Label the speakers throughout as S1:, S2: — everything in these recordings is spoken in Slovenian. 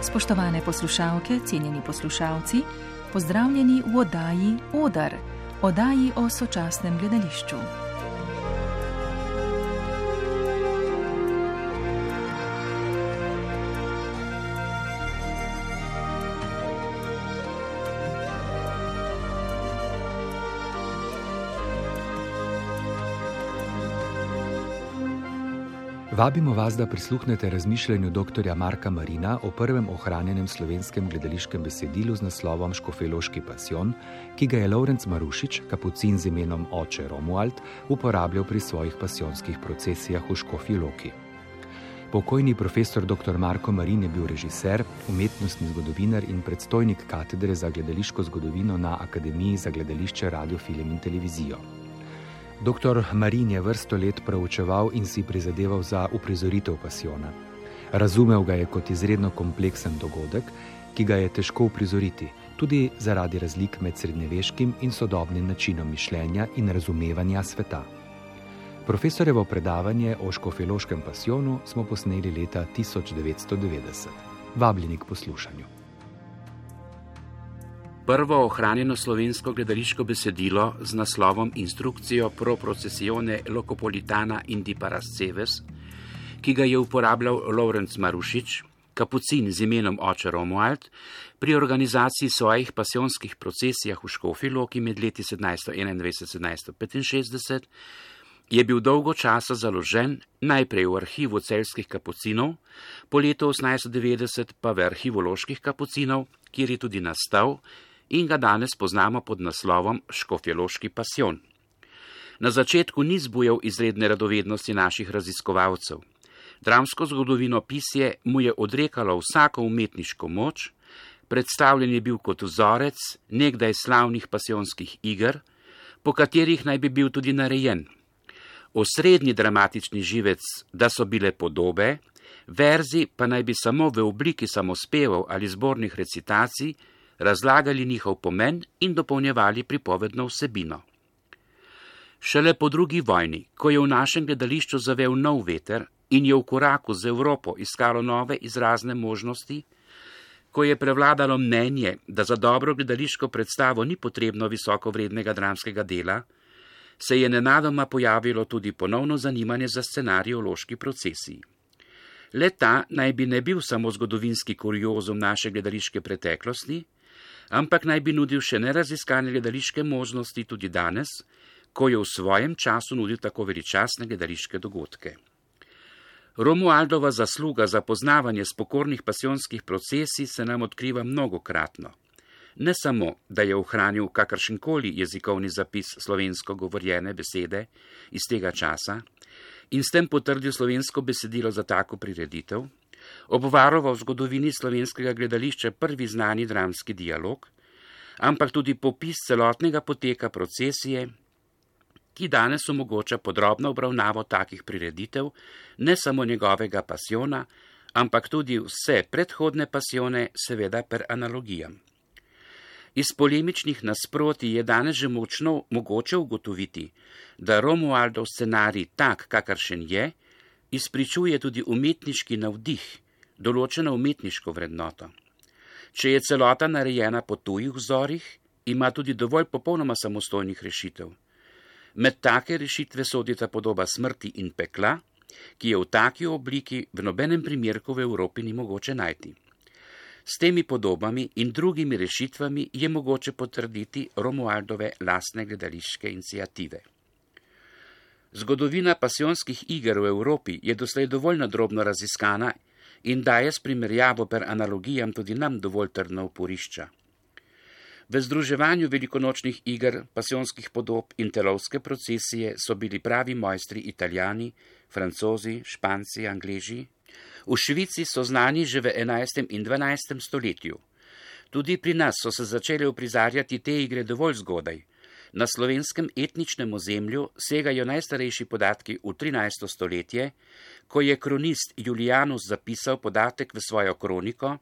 S1: Spoštovane poslušalke, cenjeni poslušalci, pozdravljeni v oddaji Odar, oddaji o sočasnem gledališču.
S2: Vabimo vas, da prisluhnete razmišljanju dr. Marka Marina o prvem ohranjenem slovenskem gledališkem besedilu z naslovom Škofjeloški pasijon, ki ga je Lovrenc Marušič, kapucin z imenom Oče Romuald, uporabljal pri svojih pasijonskih procesijah v Škofji Loki. Pokojni profesor dr. Marko Marin je bil režiser, umetnostni zgodovinar in predstojnik katedre za gledališko zgodovino na Akademiji za gledališče, radio, film in televizijo. Dr. Marin je vrsto let proučeval in si prizadeval za uprizoritev pasijona. Razumel ga je kot izredno kompleksen dogodek, ki ga je težko uprizoriti, tudi zaradi razlik med srednjeveškim in sodobnim načinom mišljenja in razumevanja sveta. Profesorjevo predavanje o Škofjeloškem pasijonu smo posneli leta 1990. Vabljeni k poslušanju.
S3: Prvo ohranjeno slovensko gledališko besedilo z naslovom Instrukcijo pro procesione Locopolitana indi Parasceves, ki ga je uporabljal Lovrenc Marušič, kapucin z imenom Oče Romuald, pri organizaciji svojih pasijonskih procesijah v Škofji Loki med leti 1721-1765, je bil dolgo časa založen najprej v arhivu celjskih kapucinov, po letu 1890 pa v arhivu loških kapucinov, kjer je tudi nastal in ga danes poznamo pod naslovom Škofjeloški pasijon. Na začetku ni zbujal izredne radovednosti naših raziskovalcev. Dramsko zgodovinopisje mu je odrekalo vsako umetniško moč, predstavljen je bil kot vzorec nekdaj slavnih pasijonskih iger, po katerih naj bi bil tudi narejen. Osrednji dramatični živec, da so bile podobe, verzi pa naj bi samo v obliki samospevov ali zbornih recitacij razlagali njihov pomen in dopolnjevali pripovedno vsebino. Šele po drugi vojni, ko je v našem gledališču zavel nov veter in je v koraku z Evropo iskalo nove izrazne možnosti, ko je prevladalo mnenje, da za dobro gledališko predstavo ni potrebno visokovrednega dramskega dela, se je nenadoma pojavilo tudi ponovno zanimanje za scenarij v loški procesiji. Le ta naj bi ne bil samo zgodovinski kuriozum naše gledališke preteklosti, ampak naj bi nudil še neraziskane gledališke možnosti tudi danes, ko je v svojem času nudil tako veličastne gledališke dogodke. Romualdova zasluga za poznavanje spokornih pasijonskih procesij se nam odkriva mnogokratno. Ne samo, da je ohranil kakršenkoli jezikovni zapis slovensko govorjene besede iz tega časa in s tem potrdil slovensko besedilo za tako prireditev, obvaroval v zgodovini slovenskega gledališča prvi znani dramski dialog, ampak tudi popis celotnega poteka procesije, ki danes omogoča podrobno obravnavo takih prireditev, ne samo njegovega pasijona, ampak tudi vse predhodne pasijone, seveda per analogijam. Iz polemičnih nasprotij je danes že mogoče ugotoviti, da Romualdov scenarij tak, kakršen je, izpričuje tudi umetniški navdih, določeno umetniško vrednoto. Če je celota narejena po tujih vzorih, ima tudi dovolj popolnoma samostojnih rešitev. Med take rešitve sodita podoba Smrti in pekla, ki je v taki obliki v nobenem primerku v Evropi ni mogoče najti. S temi podobami in drugimi rešitvami je mogoče potrditi Romualdove lastne gledališke iniciative. Zgodovina pasijonskih iger v Evropi je doslej dovolj nadrobno raziskana in daje s primerjavo per analogijam tudi nam dovolj trdna uporišča. V združevanju velikonočnih iger, pasijonskih podob in telovske procesije so bili pravi mojstri Italijani, Francozi, Španci, Angleži. V Švici so znani že v 11. in 12. stoletju. Tudi pri nas so se začele uprizarjati te igre dovolj zgodaj. Na slovenskem etničnem ozemlju segajo najstarejši podatki v 13. stoletje, ko je kronist Julijanus zapisal podatek v svojo kroniko,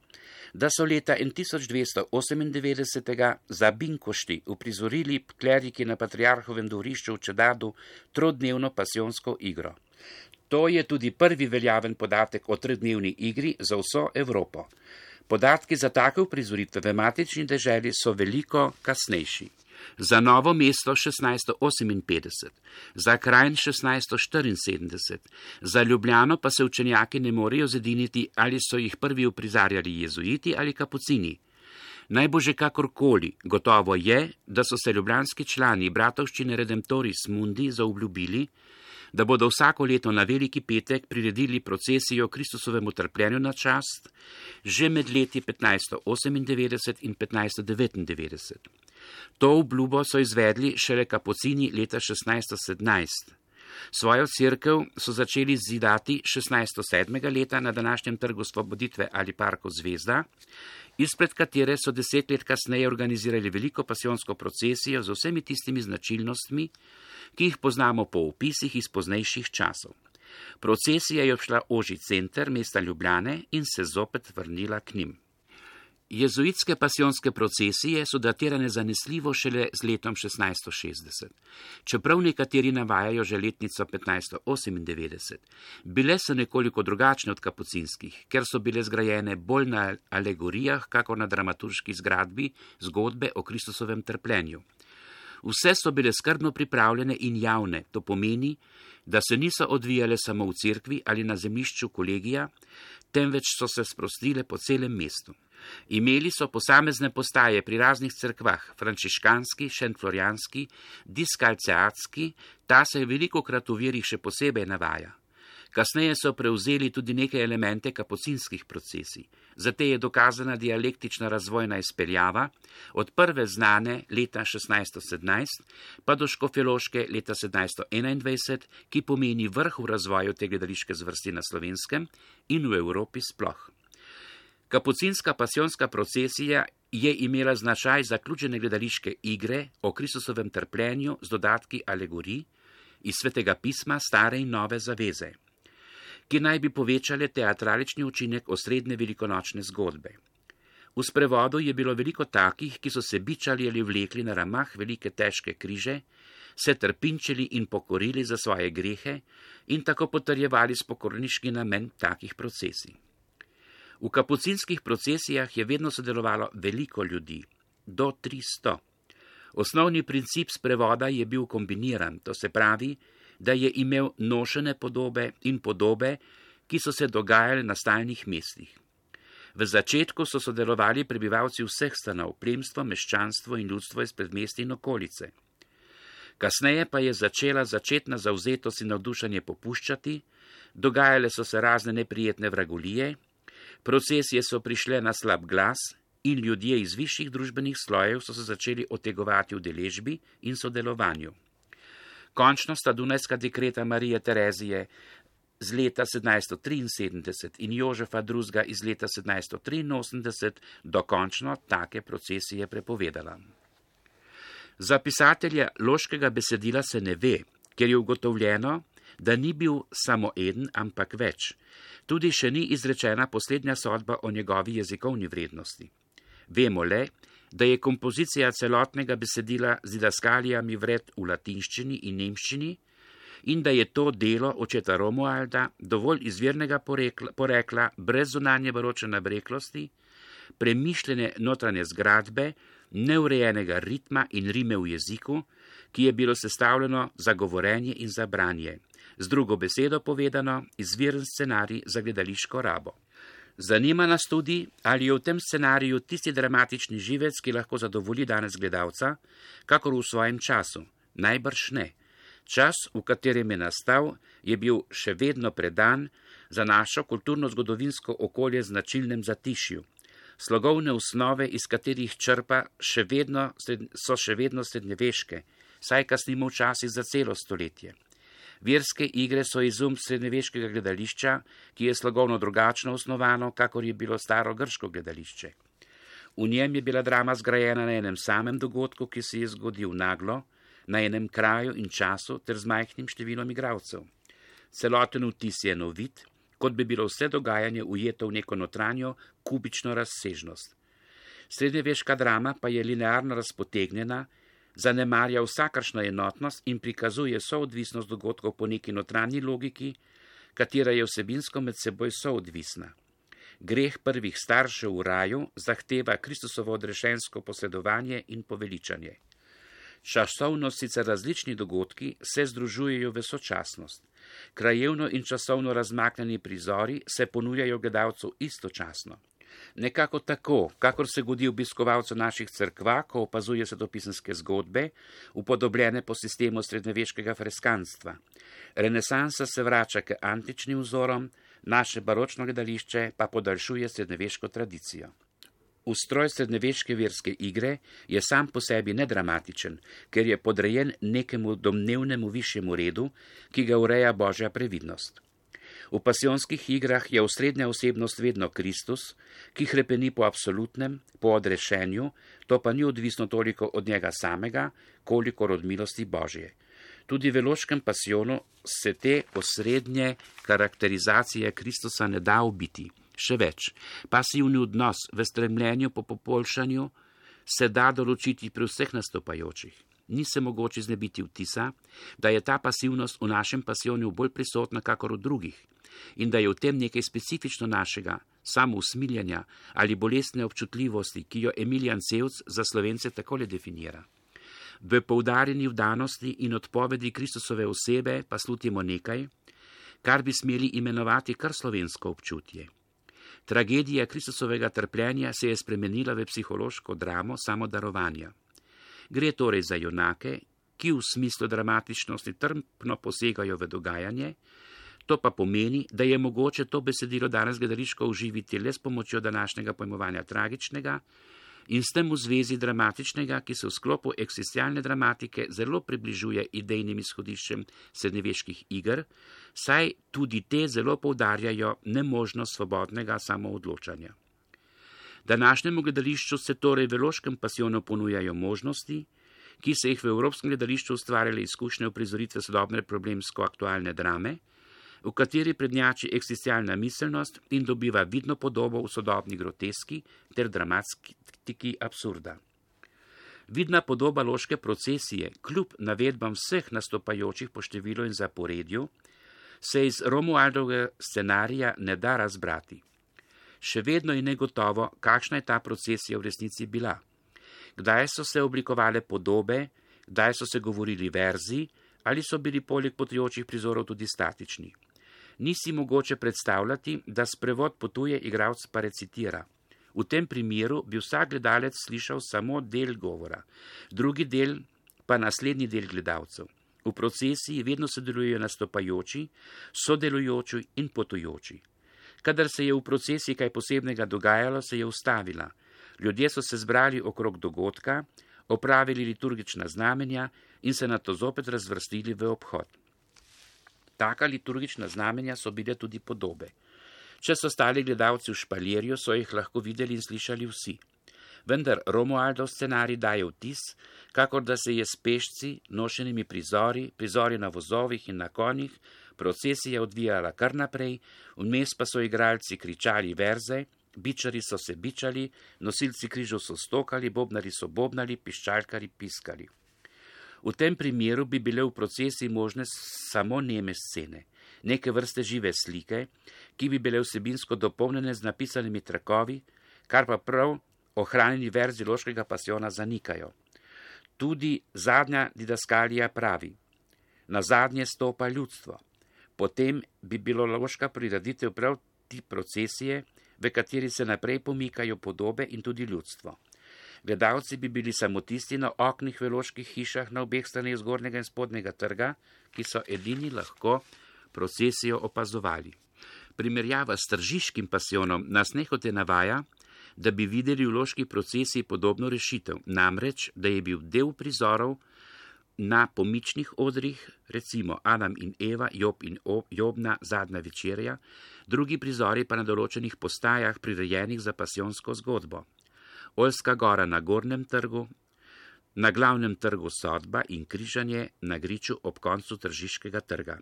S3: da so leta 1298 za Binkošti uprizorili kleriki na patriarhovem dvorišču v Čedadu trodnevno pasijonsko igro. To je tudi prvi veljaven podatek o 3-dnevni igri za vso Evropo. Podatki za take uprizoritve v matični deželi so veliko kasnejši. Za Novo mesto 1658, za Kranj 1674, za Ljubljano pa se učenjaki ne morejo zediniti, ali so jih prvi uprizarjali jezuiti ali kapucini. Naj bo že kakorkoli, gotovo je, da so se ljubljanski člani bratovščine Redemptoris Mundi zaobljubili, da bodo vsako leto na Veliki petek priredili procesijo Kristusovemu trpljenju na čast, že med leti 1598 in 1599. To obljubo so izvedli šele kapucini leta 1617. Svojo cerkev so začeli zidati 1607. leta na današnjem trgu Svoboditve ali parku Zvezda, izpred katere so 10 let kasneje organizirali veliko pasijonsko procesijo z vsemi tistimi značilnostmi, ki jih poznamo po opisih iz poznejših časov. Procesija je obšla ožji center mesta Ljubljane in se zopet vrnila k njim. Jezuitske pasijonske procesije so datirane zanesljivo šele z letom 1660. Čeprav nekateri navajajo že letnico 1598, bile so nekoliko drugačne od kapucinskih, ker so bile zgrajene bolj na alegorijah, kako na dramaturški zgradbi zgodbe o Kristusovem trpljenju. Vse so bile skrbno pripravljene in javne, to pomeni, da se niso odvijale samo v cerkvi ali na zemljišču kolegija, temveč so se sprostile po celem mestu. Imeli so posamezne postaje pri raznih cerkvah, frančiškanski, šentflorjanski, diskalceatski, ta se velikokrat v virih še posebej navaja. Kasneje so prevzeli tudi neke elemente kapucinskih procesij. Zate je dokazana dialektična razvojna izpeljava od prve znane leta 1617 pa do škofjeloške leta 1721, ki pomeni vrh v razvoju te gledališke zvrsti na Slovenskem in v Evropi sploh. Kapucinska pasijonska procesija je imela značaj zaključene gledališke igre o Kristusovem trpljenju z dodatki alegorij iz Svetega pisma Stare in Nove zaveze, ki naj bi povečale teatralični učinek osrednje velikonočne zgodbe. V sprevodu je bilo veliko takih, ki so se bičali ali vlekli na ramah velike težke križe, se trpinčili in pokorili za svoje grehe in tako potrjevali spokorniški namen takih procesij. V kapucinskih procesijah je vedno sodelovalo veliko ljudi, do 300. Osnovni princip sprevoda je bil kombiniran, to se pravi, da je imel nošene podobe in podobe, ki so se dogajale na stalnih mestih. V začetku so sodelovali prebivalci vseh stanov, plemstvo, meščanstvo in ljudstvo iz predmestja in okolice. Kasneje pa je začela začetna zavzetost in navdušenje popuščati, dogajale so se razne neprijetne vragolije, procesije so prišle na slab glas in ljudje iz višjih družbenih slojev so se začeli otegovati v deležbi in sodelovanju. Končno sta Dunajska dekreta Marije Terezije z leta 1773 in Jožefa II. Iz leta 1783 dokončno take procesije prepovedala. Za pisatelja loškega besedila se ne ve, ker je ugotovljeno, da ni bil samo eden, ampak več. Tudi še ni izrečena poslednja sodba o njegovi jezikovni vrednosti. Vemo le, da je kompozicija celotnega besedila z didaskalijami vred v latinščini in nemščini in da je to delo očeta Romualda dovolj izvirnega porekla, brez zunanje baročne nabreklosti, premišljene notranje zgradbe, neurejenega ritma in rime v jeziku, ki je bilo sestavljeno za govorenje in za branje. Z drugo besedo povedano, izviren scenarij za gledališko rabo. Zanima nas tudi, ali je v tem scenariju tisti dramatični živec, ki lahko zadovolji danes gledalca, kakor v svojem času. Najbrž ne. Čas, v katerem je nastal, je bil še vedno predan za našo kulturno-zgodovinsko okolje značilnem zatišju. Slogovne osnove, iz katerih črpa, so še vedno srednjeveške, saj kasnimo včasih za celo stoletje. Verske igre so izum srednjeveškega gledališča, ki je slogovno drugačno osnovano, kakor je bilo staro grško gledališče. V njem je bila drama zgrajena na enem samem dogodku, ki se je zgodil naglo, na enem kraju in času ter z majhnim številom igralcev. Celoten vtis je enovit, kot bi bilo vse dogajanje ujeto v neko notranjo, kubično razsežnost. Srednjeveška drama pa je linearno razpotegnjena, zanemarja vsakršno enotnost in prikazuje soodvisnost dogodkov po neki notranji logiki, katera je vsebinsko med seboj soodvisna. Greh prvih staršev v raju zahteva Kristusovo odrešensko posledovanje in poveličanje. Časovno sicer različni dogodki se združujejo v sočasnost. Krajevno in časovno razmaknjeni prizori se ponujajo gledalcu istočasno. Nekako tako, kakor se godi obiskovalcu naših cerkva, ko opazuje svetopisemske zgodbe, upodobljene po sistemu srednjeveškega freskanstva. Renesansa se vrača k antičnim vzorom, naše baročno gledališče pa podaljšuje srednjeveško tradicijo. Ustroj srednjeveške verske igre je sam po sebi nedramatičen, ker je podrejen nekemu domnevnemu višjemu redu, ki ga ureja Božja previdnost. V pasijonskih igrah je osrednja osebnost vedno Kristus, ki hrepeni po absolutnem, po odrešenju, to pa ni odvisno toliko od njega samega, kolikor od milosti Božje. Tudi v Loškem pasijonu se te osrednje karakterizacije Kristusa ne da ubiti. Še več, pasivni odnos v stremljenju po poboljšanju se da določiti pri vseh nastopajočih. Ni se mogoče znebiti vtisa, da je ta pasivnost v našem pasijonu bolj prisotna kakor v drugih in da je v tem nekaj specifično našega, samousmiljanja ali bolestne občutljivosti, ki jo Emilijan Cevc za Slovence takole definira. V poudarjeni vdanosti in odpovedi Kristusove osebe pa slutimo nekaj, kar bi smeli imenovati kar slovensko občutje. Tragedija Kristusovega trpljenja se je spremenila v psihološko dramo samodarovanja. Gre torej za junake, ki v smislu dramatičnosti trpno posegajo v dogajanje, to pa pomeni, da je mogoče to besedilo danes gledališko uživiti le s pomočjo današnjega pojmovanja tragičnega in s tem v zvezi dramatičnega, ki se v sklopu eksistencialne dramatike zelo približuje idejnim izhodiščem srednjeveških iger, saj tudi te zelo poudarjajo nemožnost svobodnega samoodločanja. Današnjemu gledališču se torej v Loškem pasijonu ponujajo možnosti, ki se jih v evropskem gledališču ustvarjale izkušnje uprizoritve sodobne problemsko-aktualne drame, v kateri prednjači eksistencialna miselnost in dobiva vidno podobo v sodobni groteski ter dramatiki absurda. Vidna podoba loške procesije, kljub navedbam vseh nastopajočih po številu in zaporedju, se iz Romualdovega scenarija ne da razbrati. Še vedno je negotovo, kakšna je ta procesija v resnici bila. Kdaj so se oblikovale podobe, kdaj so se govorili verzi, ali so bili poleg potujočih prizorov tudi statični. Ni si mogoče predstavljati, da sprevod potuje, igralec pa recitira. V tem primeru bi vsak gledalec slišal samo del govora, drugi del pa naslednji del gledalcev. V procesiji vedno sodelujejo nastopajoči, sodelujoči in potujoči. Kadar se je v procesiji kaj posebnega dogajalo, se je ustavila. Ljudje so se zbrali okrog dogodka, opravili liturgična znamenja in se nato zopet razvrstili v obhod. Taka liturgična znamenja so bile tudi podobe. Če so stali gledalci v špalirju, so jih lahko videli in slišali vsi. Vendar Romualdov scenarij daje vtis, kakor da se je s pešci, nošenimi prizori na vozovih in na konjih, procesija odvijala kar naprej, vmes pa so igralci kričali verze, bičari so se bičali, nosilci križov so stokali, bobnari so bobnali, piščalkari piskali. V tem primeru bi bile v procesiji možne samo neme scene, neke vrste žive slike, ki bi bile vsebinsko dopolnjene z napisanimi trakovi, kar pa prav ohranjeni verzi Loškega pasijona zanikajo. Tudi zadnja didaskalija pravi: na zadnje stopa ljudstvo. Potem bi bilo Loška prireditev prav ti procesije, v kateri se naprej pomikajo podobe in tudi ljudstvo. Gledalci bi bili samo tisti na oknih v loških hišah na obeh straneh zgornjega in spodnjega trga, ki so edini lahko procesijo opazovali. Primerjava s tržiškim pasijonom nas nehote navaja, da bi videli v loški procesiji podobno rešitev, namreč, da je bil del prizorov na pomičnih odrih, recimo Adam in Eva, Job in Jobna zadnja večerja, drugi prizori pa na določenih postajah prirejenih za pasijonsko zgodbo. Oljska gora na Gornjem trgu, na Glavnem trgu sodba in križanje na griču ob koncu tržiškega trga.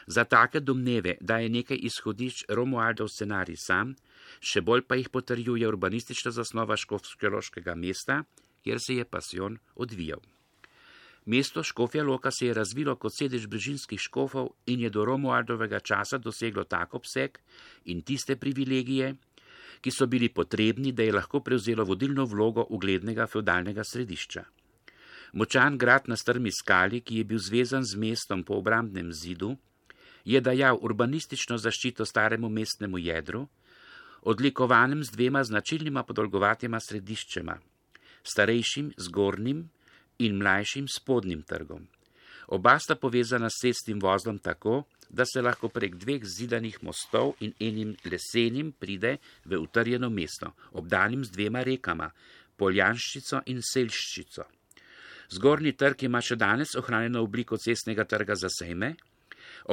S3: Za take domneve, da je nekaj izhodišč Romualdov scenarij sam, še bolj pa jih potrjuje urbanistična zasnova škofjeloškega mesta, kjer se je pasijon odvijal. Mesto Škofja Loka se je razvilo kot sedež brežinskih škofov in je do Romualdovega časa doseglo tak obseg in tiste privilegije, ki so bili potrebni, da je lahko prevzelo vodilno vlogo uglednega feudalnega središča. Močan grad na strmi skali, ki je bil zvezan z mestom po obrambnem zidu, je dajal urbanistično zaščito staremu mestnemu jedru, odlikovanem z dvema značilnima podolgovatima središčema, starejšim zgornjim in mlajšim spodnjim trgom. Oba sta povezana s cestnim vozlom tako, da se lahko prek dveh zidanih mostov in enim lesenim pride v utrjeno mesto, obdanim z dvema rekama, Poljanščico in Selščico. Zgornji trg ima še danes ohranjeno obliko cestnega trga za sejme,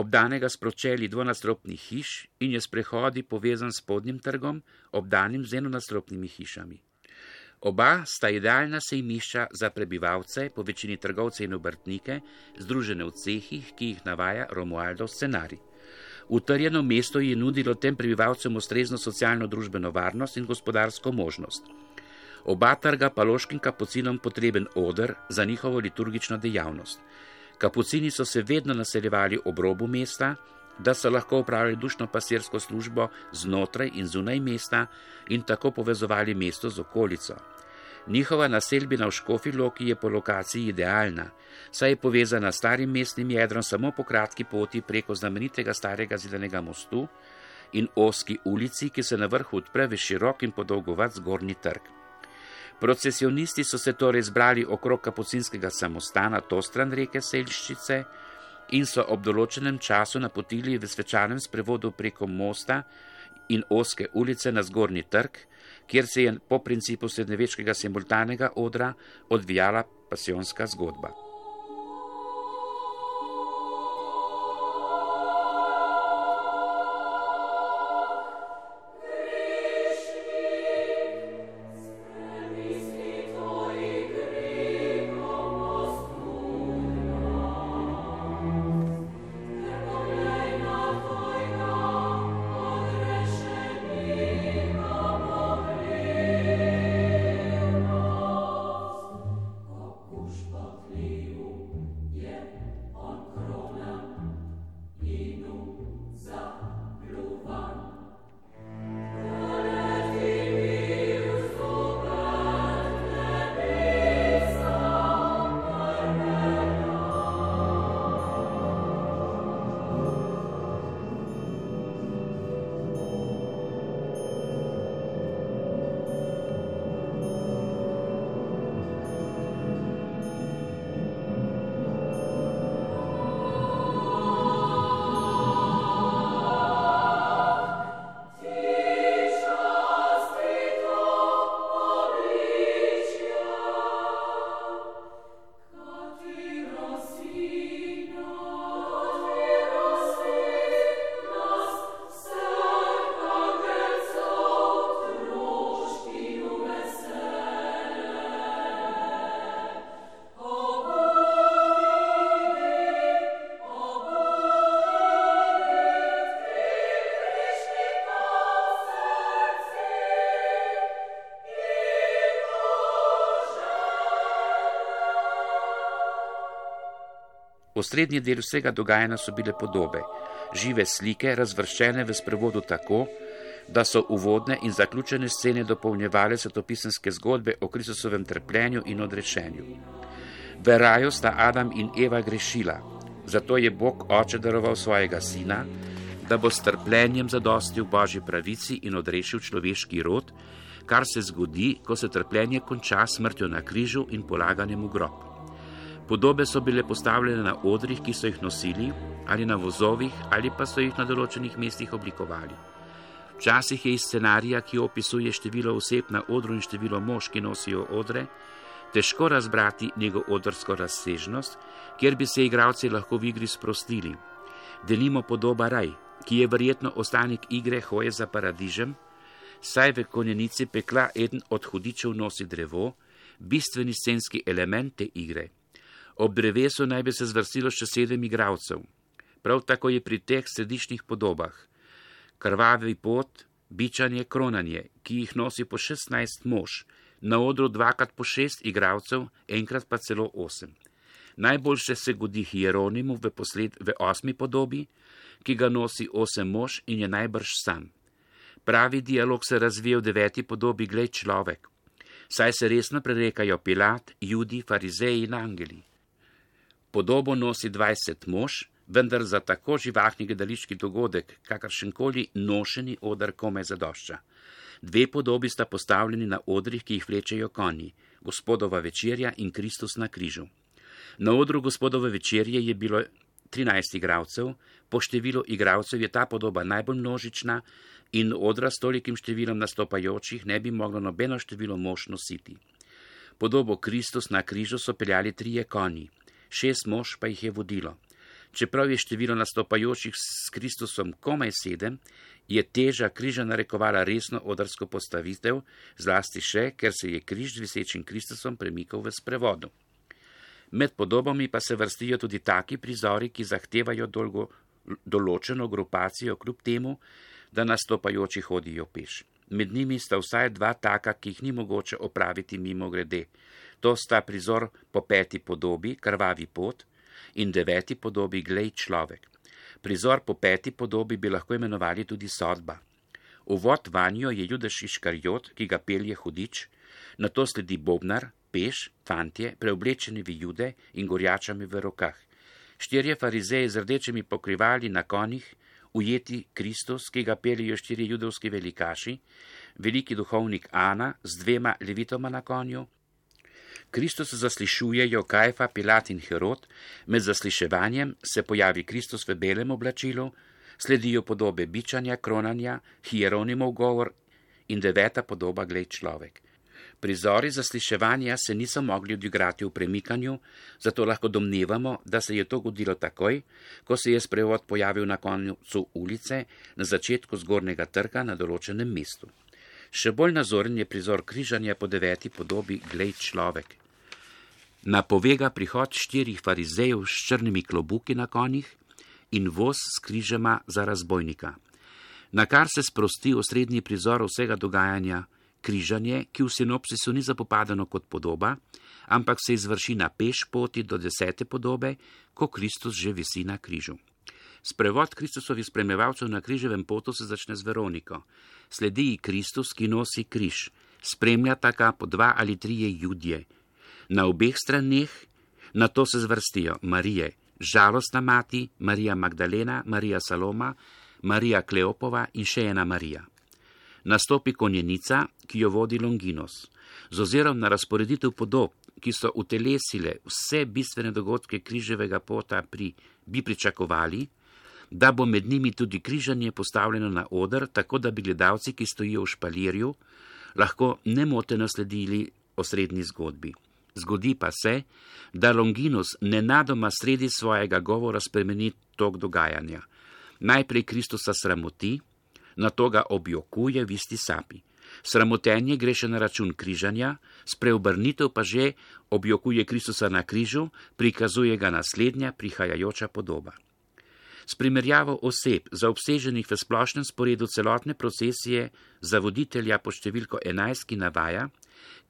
S3: obdanega s pročelji dvonadstropnih hiš in je s prehodi povezan s spodnjim trgom, obdanim z enonadstropnimi hišami. Oba sta idealna sejmišča za prebivalce, po večini trgovce in obrtnike, združene v cehih, ki jih navaja Romualdov scenarij. Utrjeno mesto je nudilo tem prebivalcem ustrezno socialno-družbeno varnost in gospodarsko možnost. Oba trga pa loškim kapucinom potreben oder za njihovo liturgično dejavnost. Kapucini so se vedno naseljevali ob robu mesta, da so lahko opravljali dušno pasirsko službo znotraj in zunaj mesta in tako povezovali mesto z okolico. Njihova naselbina v Škofji Loki je po lokaciji idealna, saj je povezana s starim mestnim jedrom samo po kratki poti preko znamenitega starega zidanega mostu in ozki ulici, ki se na vrhu odpre v širok in podolgovat zgornji trg. Procesionisti so se torej zbrali okrog kapucinskega samostana to stran reke Selščice in so ob določenem času napotili v svečanem sprevodu preko mosta in ozke ulice na zgornji trg, kjer se je po principu srednjeveškega simultanega odra odvijala pasijonska zgodba. Osrednji del vsega dogajanja so bile podobe, žive slike, razvrščene v sprevodu tako, da so uvodne in zaključene scene dopolnjevale svetopisemske zgodbe o Kristusovem trpljenju in odrešenju. V raju sta Adam in Eva grešila, zato je Bog Oče daroval svojega sina, da bo s trpljenjem zadostil Božji pravici in odrešil človeški rod, kar se zgodi, ko se trpljenje konča smrtjo na križu in polaganjem v grob. Podobe so bile postavljene na odrih, ki so jih nosili, ali na vozovih, ali pa so jih na določenih mestih oblikovali. Včasih je iz scenarija, ki opisuje število oseb na odru in število mož, ki nosijo odre, težko razbrati njegov odrsko razsežnost, kjer bi se igralci lahko v igri sprostili. Denimo podoba Raj, ki je verjetno ostanek igre Hoje za paradižem, saj v konjenici pekla eden od hudičev nosi drevo, bistveni scenski element te igre. Ob drevesu naj bi se zvrstilo še 7 igralcev. Prav tako je pri teh središčnih podobah krvavi pot, bičanje, kronanje, ki jih nosi po 16 mož, na odru 2x po 6 igralcev, enkrat pa celo 8. Najboljše se godi Hieronimu v 8. podobi, ki ga nosi 8 mož in je najbrž sam. Pravi dialog se razvije v 9. podobi Glej človek, saj se resno prerekajo Pilat, Judi, farizeji in angeli. Podobo nosi 20 mož, vendar za tako živahni gledališki dogodek, kakršenkoli nošeni oder komaj zadošča. 2 podobi sta postavljeni na odrih, ki jih vlečejo konji, Gospodova večerja in Kristus na križu. Na odru Gospodove večerje je bilo 13 igralcev, po številu igralcev je ta podoba najbolj množična in odra s tolikim številom nastopajočih ne bi moglo nobeno število mož nositi. Podobo Kristus na križu so peljali 3 konji, 6 mož pa jih je vodilo. Čeprav je število nastopajočih s Kristusom komaj 7, je teža križa narekovala resno odrsko postavitev, zlasti še, ker se je križ z visečim Kristusom premikal v sprevodu. Med podobami pa se vrstijo tudi taki prizori, ki zahtevajo določeno grupacijo kljub temu, da nastopajoči hodijo peš. Med njimi sta vsaj 2 taka, ki jih ni mogoče opraviti mimo grede. To sta prizor po 5. podobi, Krvavi pot, in 9. podobi Glej človek. Prizor po 5. podobi bi lahko imenovali tudi sodba. Uvod vanjo je Judas Iškariot, ki ga pelje hudič, nato sledi bobnar, peš, fantje, preoblečeni v jude in gorjačami v rokah. 4 farizeji z rdečimi pokrivali na konjih, ujeti Kristus, ki ga peljejo 4 judovski velikaši, veliki duhovnik Ana z 2 levitoma na konju. Kristus zaslišujejo Kajfa, Pilat in Herod, med zasliševanjem se pojavi Kristus v belem oblačilu, sledijo podobe bičanja, kronanja, Hieronimov govor in 9. podoba Glej človek. Prizori zasliševanja se niso mogli odigrati v premikanju, zato lahko domnevamo, da se je to godilo takoj, ko se je sprevod pojavil na koncu ulice, na začetku zgornjega trga na določenem mestu. Še bolj nazoren je prizor križanja po 9. podobi Glej človek. Napovega prihod 4 farizejev s črnimi klobuki na konjih in voz s križema za razbojnika. Na kar se sprosti osrednji prizor vsega dogajanja, križanje, ki v sinopsisu ni zapopadeno kot podoba, ampak se izvrši na peš poti do 10. podobe, ko Kristus že visi na križu. Sprevod Kristusovih spremljevalcev na križevem potu se začne z Veroniko. Sledi Kristus, ki nosi križ, spremljata ga po 2 ali 3 judje. Na obeh straneh nato se zvrstijo Marije, žalostna mati, Marija Magdalena, Marija Saloma, Marija Kleopova in še ena Marija. Nastopi konjenica, ki jo vodi Longinos. Z ozirom na razporeditev podob, ki so utelesile vse bistvene dogodke križevega pota bi pričakovali, da bo med njimi tudi križanje postavljeno na oder, tako da bi gledalci, ki stojijo v špalirju, lahko nemoteno sledili osrednji zgodbi. Zgodi pa se, da Longinus nenadoma sredi svojega govora spremeni tok dogajanja. Najprej Kristusa sramoti, nato ga objokuje v isti sapi. Sramotenje gre še na račun križanja, spreobrnitev pa že objokuje Kristusa na križu, prikazuje ga naslednja prihajajoča podoba. S primerjavo oseb zaobseženih v splošnem sporedu celotne procesije za voditelja pod številko 11, ki navaja,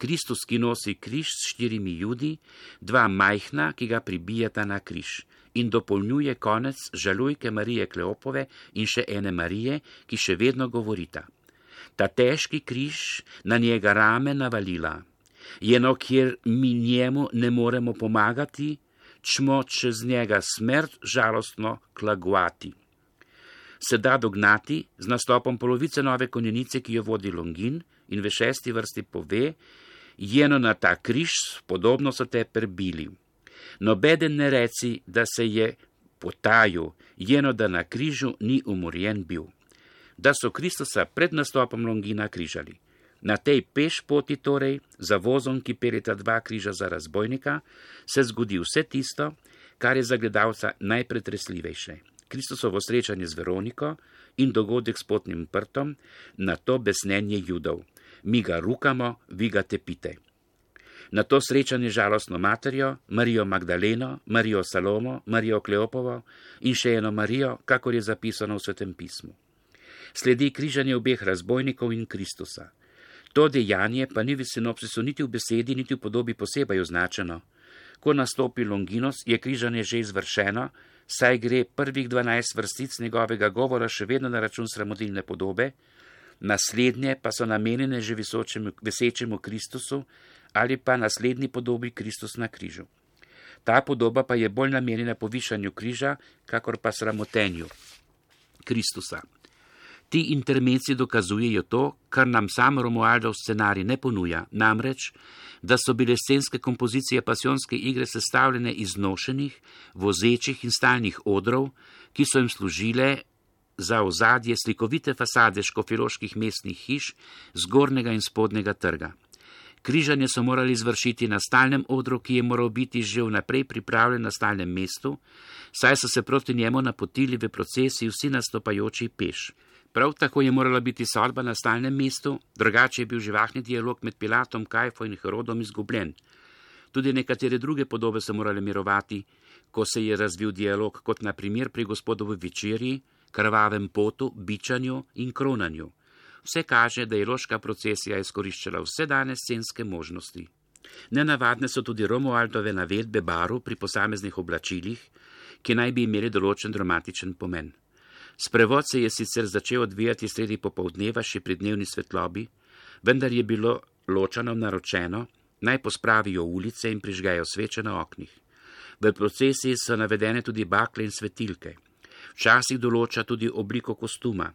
S3: Kristus, ki nosi križ s 4 judi, 2 majhna, ki ga pribijata na križ, in dopolnjuje konec žalujke Marije Kleopove in še ene Marije, ki še vedno govorita. Ta težki križ na njega rame navalila, jeno kjer mi njemu ne moremo pomagati, čmo čez njega smrt žalostno klagovati. Se da dognati z nastopom polovice nove konjenice, ki jo vodi Longin, in v 6. vrsti pove, jeno na ta križ podobno so te prebili. Nobeden ne reci, da se je potajil, jeno da na križu ni umorjen bil. Da so Kristusa pred nastopom Longina križali. Na tej peš poti torej, za vozom, ki peljeta 2 križa za razbojnika, se zgodi vse tisto, kar je za gledalca najpretresljivejše. Kristusovo srečanje z Veroniko in dogodek s potnim prtom, na to besnenje Judov. Mi ga rukamo, vi ga tepite. Na to srečanje žalostno materjo, Marijo Magdaleno, Marijo Salomo, Marijo Kleopovo in še eno Marijo, kakor je zapisano v Svetem pismu. Sledi križanje obeh razbojnikov in Kristusa. To dejanje pa ni v sinopsisu niti v besedi, niti v podobi posebej označeno. Ko nastopi Longinos, je križanje že izvršeno, saj gre prvih 12 vrstic njegovega govora še vedno na račun sramotilne podobe, naslednje pa so namenjene že visečemu Kristusu ali pa naslednji podobi Kristus na križu. Ta podoba pa je bolj namenjena povišanju križa, kakor pa sramotenju Kristusa. Ti intermeci dokazujejo to, kar nam sam Romualdov scenarij ne ponuja, namreč, da so bile scenske kompozicije pasijonske igre sestavljene iz nošenih, vozečih in stalnih odrov, ki so jim služile za ozadje slikovite fasade škofjeloških mestnih hiš z gornjega in spodnjega trga. Križanje so morali izvršiti na stalnem odru, ki je moral biti že vnaprej pripravljen na stalnem mestu, saj so se proti njemu napotili v procesiji vsi nastopajoči peš. Prav tako je morala biti sodba na stalnem mestu, drugače je bil živahni dialog med Pilatom, Kajfo in Herodom izgubljen. Tudi nekatere druge podobe so morale mirovati, ko se je razvil dialog, kot na primer pri Gospodovi večerji, krvavem potu, bičanju in kronanju. Vse kaže, da je loška procesija izkoriščala vse dane scenske možnosti. Nenavadne so tudi Romualdove navedbe barv pri posameznih oblačilih, ki naj bi imeli določen dramatičen pomen. Sprevod se je sicer začel odvijati sredi popoldneva še pri dnevni svetlobi, vendar je bilo ločanom naročeno, naj pospravijo ulice in prižgejo sveče na oknih. V procesiji so navedene tudi bakle in svetilke. Včasih določa tudi obliko kostuma.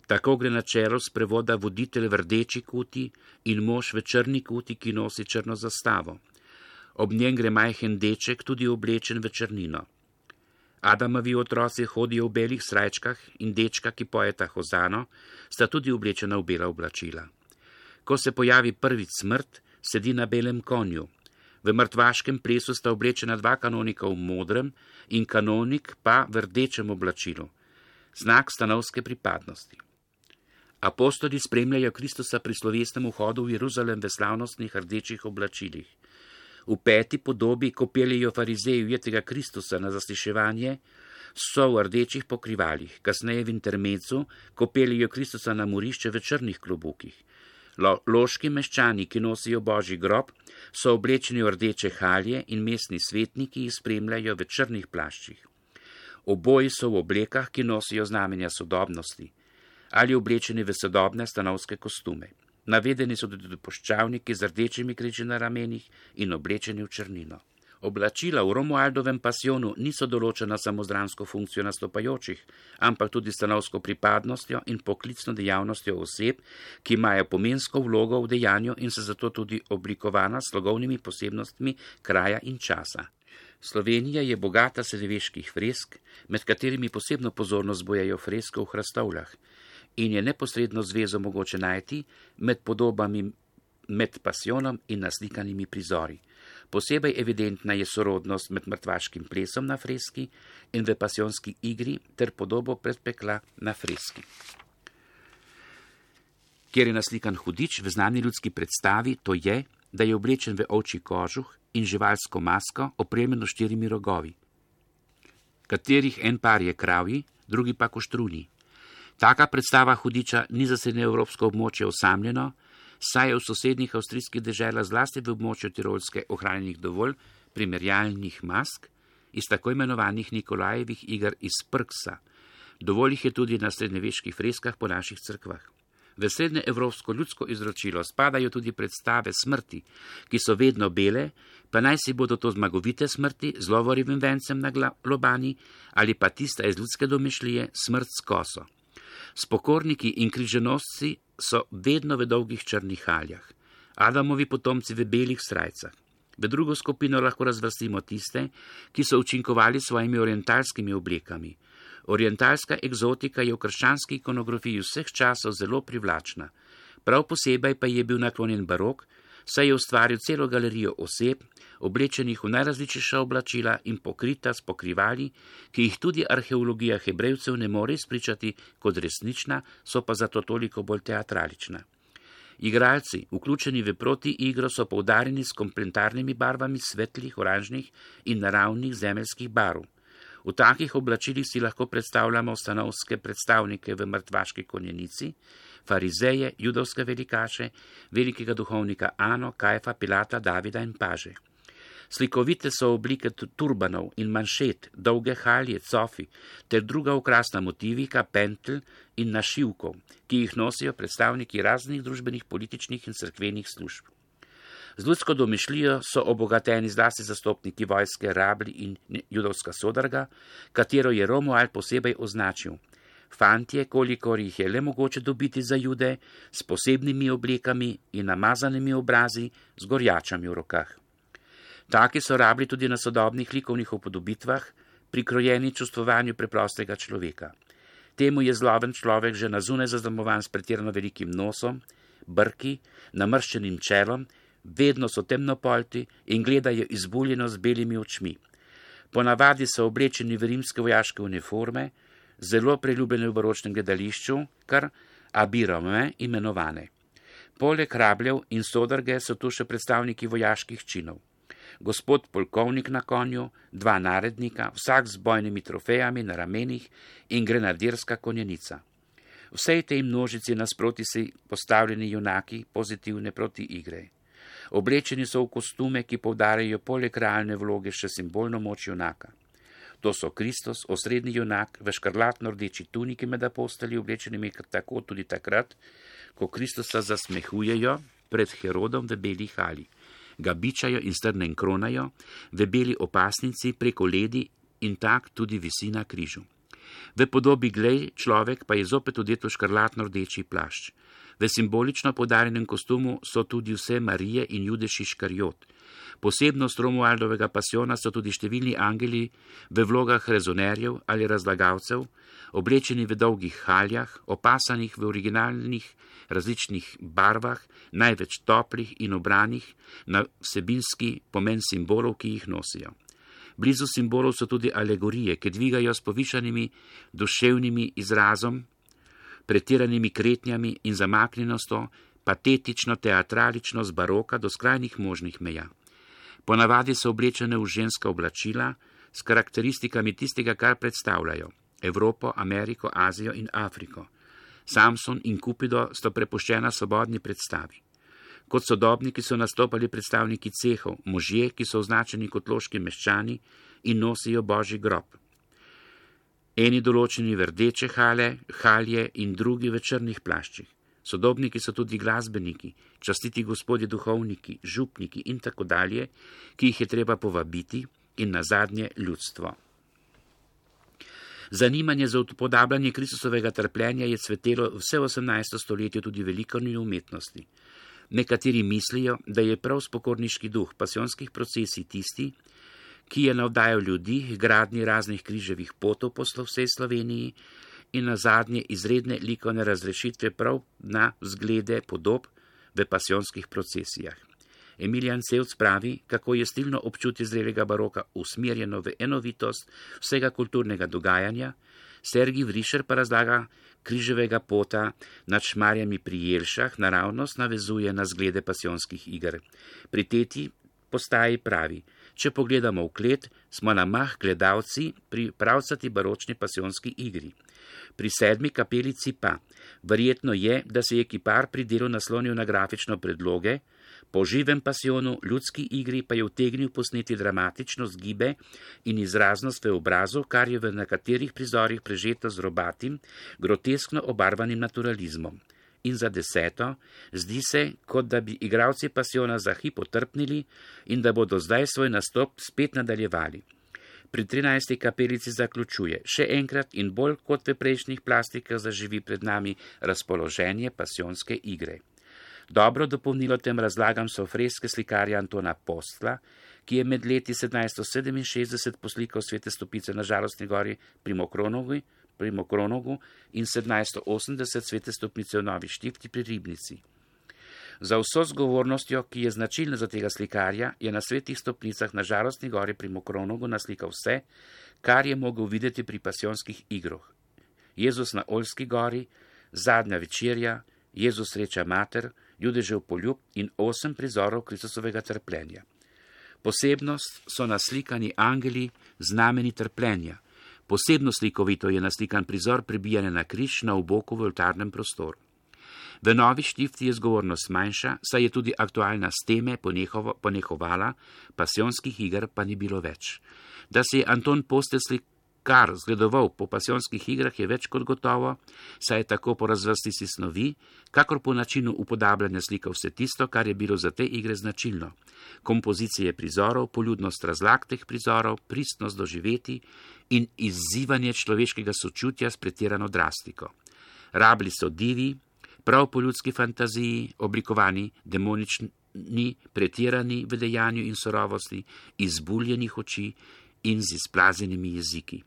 S3: Tako gre na čelo sprevoda voditelj v rdeči kuti in mož v črni kuti, ki nosi črno zastavo. Ob njem gre majhen deček, tudi oblečen v črnino. Adamovi otroci hodijo v belih srajčkah in dečka, ki pojeta hozano, sta tudi oblečena v bela oblačila. Ko se pojavi prvič smrt, sedi na belem konju. V mrtvaškem plesu sta oblečena dva kanonika v modrem in kanonik pa v rdečem oblačilu, znak stanovske pripadnosti. Apostoli spremljajo Kristusa pri slovesnem vhodu v Jeruzalem v slavnostnih rdečih oblačilih. V 5. podobi, ko peljejo farizeji ujetega Kristusa na zasliševanje, so v rdečih pokrivalih, kasneje v intermecu, ko peljejo Kristusa na morišče v črnih klobukih. Loški meščani, ki nosijo Božji grob, so oblečeni v rdeče halje in mestni svetniki jih spremljajo v črnih plaščih. Oboji so v oblekah, ki nosijo znamenja sodobnosti, ali oblečeni v sodobne stanovske kostume. Navedeni so tudi puščavniki z rdečimi križi na ramenih in oblečeni v črnino. Oblačila v Romualdovem pasijonu niso določena samo z dramsko funkcijo nastopajočih, ampak tudi stanovsko pripadnostjo in poklicno dejavnostjo oseb, ki imajo pomensko vlogo v dejanju in so zato tudi oblikovana s slogovnimi posebnostmi kraja in časa. Slovenija je bogata srednjeveških fresk, med katerimi posebno pozornost zbujajo freske v hrastovljah, in je neposredno zvezo mogoče najti med podobami med pasijonom in naslikanimi prizori. Posebej evidentna je sorodnost med mrtvaškim plesom na freski in v pasijonski igri ter podobo predpekla na freski. Kjer je naslikan hudič v znani ljudski predstavi, to je, da je oblečen v ovčji kožuh in živalsko masko, opremljeno 4 rogovi, katerih en par je kravji, drugi pa koštruni. Taka predstava hudiča ni za srednjeevropsko območje osamljeno, saj je v sosednjih avstrijskih deželah zlasti v območju Tirolske ohranjenih dovolj primerjalnih mask iz tako imenovanih Nikolajevih iger iz Prksa. Dovolj jih je tudi na srednjeveških freskah po naših cerkvah. V srednjeevropsko ljudsko izročilo spadajo tudi predstave smrti, ki so vedno bele, pa naj si bodo to zmagovite smrti z lovorivim vencem na lobani ali pa tista iz ljudske domišljije smrt s koso. Spokorniki in križanosci so vedno v dolgih črnih haljah, Adamovi potomci v belih srajcah. V drugo skupino lahko razvrstimo tiste, ki so učinkovali svojimi orientalskimi oblekami. Orientalska egzotika je v krščanski ikonografiji vseh časov zelo privlačna. Prav posebej pa je bil naklonjen barok, saj je ustvaril celo galerijo oseb, oblečenih v najrazličnejša oblačila in pokrita s pokrivali, ki jih tudi arheologija Hebrejcev ne more izpričati kot resnična, so pa zato toliko bolj teatralična. Igralci, vključeni v protiigro, so poudarjeni s komplementarnimi barvami svetlih, oranžnih in naravnih zemeljskih barv. V takih oblačilih si lahko predstavljamo stanovske predstavnike v mrtvaški konjenici, farizeje, judovske velikaše, velikega duhovnika Ano, Kajfa, Pilata, Davida in paže. Slikovite so oblike turbanov in manšet, dolge halje, cofi ter druga okrasna motivika, pentelj in našivkov, ki jih nosijo predstavniki raznih družbenih, političnih in cerkvenih služb. Z ljudsko domišljijo so obogateni zlasti zastopniki vojske, rabli in judovska sodarga, katero je Romuald posebej označil. Fantje, kolikor jih je le mogoče dobiti za Jude, s posebnimi oblekami in namazanimi obrazi, z gorjačami v rokah. Taki so rabli tudi na sodobnih likovnih upodobitvah, prikrojeni čustvovanju preprostega človeka. Temu je zloben človek že na zunaj zaznamovan s pretirano velikim nosom, brki, namrščenim čelom, vedno so temnopolti in gledajo izbuljeno z belimi očmi. Ponavadi so oblečeni v rimske vojaške uniforme, zelo priljubljene v baročnem gledališču, kar abirome imenovane. Poleg rabljev in sodarge so tu še predstavniki vojaških činov. Gospod polkovnik na konju, dva narednika, vsak z bojnimi trofejami na ramenih in grenadirska konjenica. Vsej tej množici nasproti si postavljeni junaki pozitivne proti igre. Oblečeni so v kostume, ki poudarjajo poleg realne vloge še simbolno moč junaka. To so Kristus, osrednji junak, v škrlatno-rdeči tuniki med apostoli, oblečenimi tako tudi takrat, ko Kristusa zasmehujejo pred Herodom v beli hali, ga bičajo in strnem kronajo, v beli opasnici preko ledi in tak tudi visi na križu. V podobi glej človek pa je zopet odet v škrlatno-rdeči plašč. V simbolično podarjenem kostumu so tudi vse Marije in Judež Iškariot. Posebnost Romualdovega pasijona so tudi številni angeli v vlogah rezonerjev ali razlagalcev, oblečeni v dolgih haljah, opasanih v originalnih različnih barvah, največ toplih in obranih na vsebinski pomen simbolov, ki jih nosijo. Blizu simbolov so tudi alegorije, ki dvigajo s povišanimi duševnimi izrazom, pretiranimi kretnjami in zamaknjenostjo, patetično, teatralično z baroka do skrajnih možnih meja. Ponavadi so oblečene v ženska oblačila s karakteristikami tistega, kar predstavljajo Evropo, Ameriko, Azijo in Afriko. Samson in Kupido sta prepuščena svobodni predstavi. Kot sodobniki so nastopali predstavniki cehov, možje, ki so označeni kot loški meščani in nosijo božji grob. Eni določeni v rdeče halje in drugi v črnih plaščih. Sodobniki so tudi glasbeniki, častiti gospodje duhovniki, župniki in tako dalje, ki jih je treba povabiti in nazadnje ljudstvo. Zanimanje za upodabljanje Kristusovega trpljenja je cvetelo vse 18. stoletje tudi v likovni umetnosti. Nekateri mislijo, da je prav spokorniški duh pasijonskih procesij tisti, ki je navdajal ljudi k gradnji raznih križevih potov po vsej Sloveniji in nazadnje izredne likovne razrešitve prav na vzglede podob v pasijonskih procesijah. Emilijan Cevc pravi, kako je stilno občutje zrelega baroka usmerjeno v enovitost vsega kulturnega dogajanja, Sergij Vrišer pa razlaga križevega pota nad Šmarjami pri Jelšah naravnost navezuje na zglede pasijonskih iger. Pri tretji postaji pravi, če pogledamo v klet, smo na mah gledalci pri pravcati baročni pasijonski igri. Pri 7. kapelici pa, verjetno je, da se je kipar pri delu naslonil na grafično predloge, po živem pasijonu ljudski igri pa je utegnil posneti dramatično zgibe in izraznost v obrazu, kar je v nekaterih prizorih prežeto z robatim, groteskno obarvanim naturalizmom. In za 10. zdi se, kot da bi igralci pasijona za hip otrpnili in da bodo zdaj svoj nastop spet nadaljevali. Pri 13. kapelici zaključuje, še enkrat in bolj kot v prejšnjih plastikah zaživi pred nami razpoloženje pasijonske igre. Dobro dopolnilo tem razlagam so freske slikarja Antona Postla, ki je med leti 1767 poslikal Svete stopice na Žalostni gori pri Mokronogu in 1780 Svete stopnice v Novi Štifti pri Ribnici. Za vso zgovornostjo, ki je značilna za tega slikarja, je na Svetih stopnicah na Žalostni gori pri Mokronogu naslikal vse, kar je mogel videti pri pasijonskih igroh. Jezus na Oljski gori, Zadnja večerja, Jezus sreča mater, Judežev poljub in 8 prizorov Kristusovega trpljenja. Posebnost so naslikani angeli znameni trpljenja. Posebno slikovito je naslikan prizor pribijanja na križ na oboku v oltarnem prostoru. V novi štifti je zgovornost manjša, saj je tudi aktualna s teme ponehovala, pasijonskih iger pa ni bilo več. Da se je Anton Postelslik kar zgledoval po pasijonskih igrah, je več kot gotovo, saj je tako po razvrstici snovi, kakor po načinu upodabljanja slikal vse tisto, kar je bilo za te igre značilno. Kompozicije prizorov, poljudnost razlag teh prizorov, pristnost doživeti in izzivanje človeškega sočutja s pretirano drastiko. Rabili so divi, prav po ljudski fantaziji, oblikovani, demonični, pretirani v dejanju in surovosti, izbuljenih oči in z izplazenimi jeziki.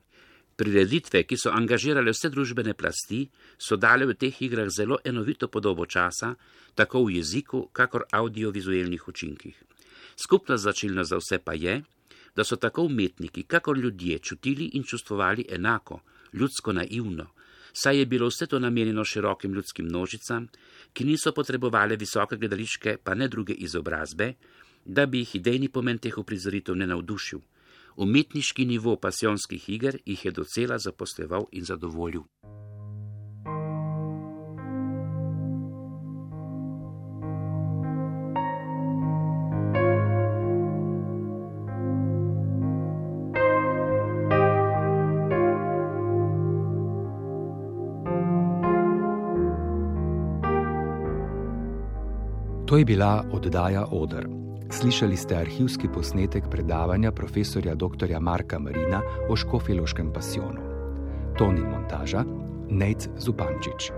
S3: Prireditve, ki so angažirale vse družbene plasti, so dale v teh igrah zelo enovito podobo časa, tako v jeziku, kakor audiovizualnih učinkih. Skupna značilnost za vse pa je, da so tako umetniki, kakor ljudje čutili in čustvovali enako, ljudsko naivno, saj je bilo vse to namenjeno širokim ljudskim množicam, ki niso potrebovali visoke gledališke, pa ne druge izobrazbe, da bi jih idejni pomen teh uprizoritev ne navdušil. Umetniški nivo pasijonskih iger jih je docela zaposleval in zadovoljil.
S2: To je bila oddaja Oder. Slišali ste arhivski posnetek predavanja profesorja dr. Marka Marina o škofjeloškem pasijonu. Ton in montaža Nejc Zupančič.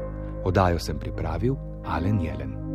S2: Oddajo sem pripravil Alen Jelen.